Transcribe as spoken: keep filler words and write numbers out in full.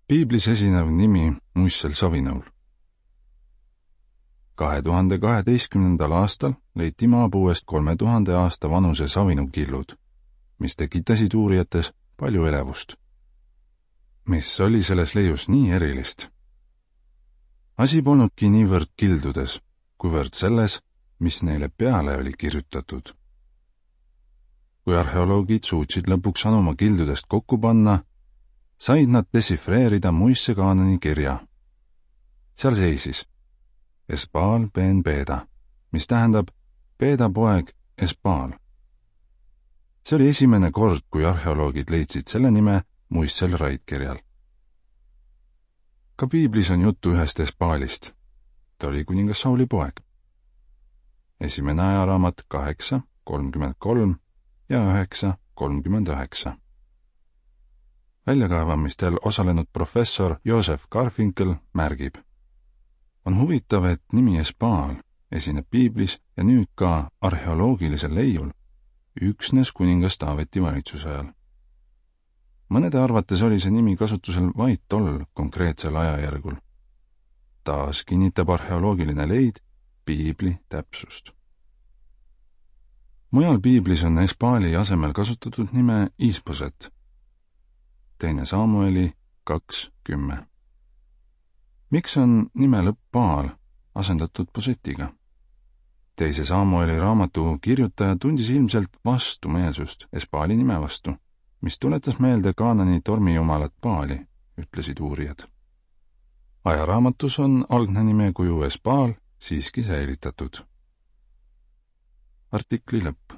Piiblis esinev nimi muistsel savinõul. kahe tuhande kaheteistkümnendal aastal leiti maapuuest kolme tuhande aasta vanuse savinukillud, mis tekitasid uurijates palju elevust. Mis oli selles leius nii erilist? Asi polnudki niivõrd kildudes, kuivõrd selles, mis neile peale oli kirjutatud. Kui arheoloogid suutsid lõpuks anuma kildudest kokku panna, said nad desifreerida Moise Kaanani kirja. Seal seisis Esbaal ben Beda, mis tähendab Beda poeg Esbaal. See oli esimene kord, kui arheoloogid leidsid selle nime muistsel raidkirjal. Ka Piiblis on juttu ühest Esbaalist. Ta oli kuningas Sauli poeg. Esimene ajaraamat kaheksa, kolmkümmend kolm ja üheksa, kolmkümmend üheksa. Väljakaevamistel osalenud professor Joseph Garfinkel märgib. On huvitav, et nimi Esbaal esineb Piiblis ja nüüd ka arheoloogilisel leiul üksnes kuningas Taaveti valitsusajal. Mõnede arvates oli see nimi kasutusel vaid tol konkreetsel ajajärgul. Taas kinnitab arheoloogiline leid Piibli täpsust. Mujal Piiblis on Esbaali asemel kasutatud nime Isboset. Teine Samueli kaks kümme. Miks on nime lõpp Baal asendatud Bosetiga? Teise Samueli raamatu kirjutaja tundis ilmselt vastumeelsust Esbaali nime vastu, mis tuletas meelde Kaanani tormijumalat Baali, ütlesid uurijad. Ajaraamatus on algne nimekuju Esbaal siiski säilitatud. Artikli lõpp.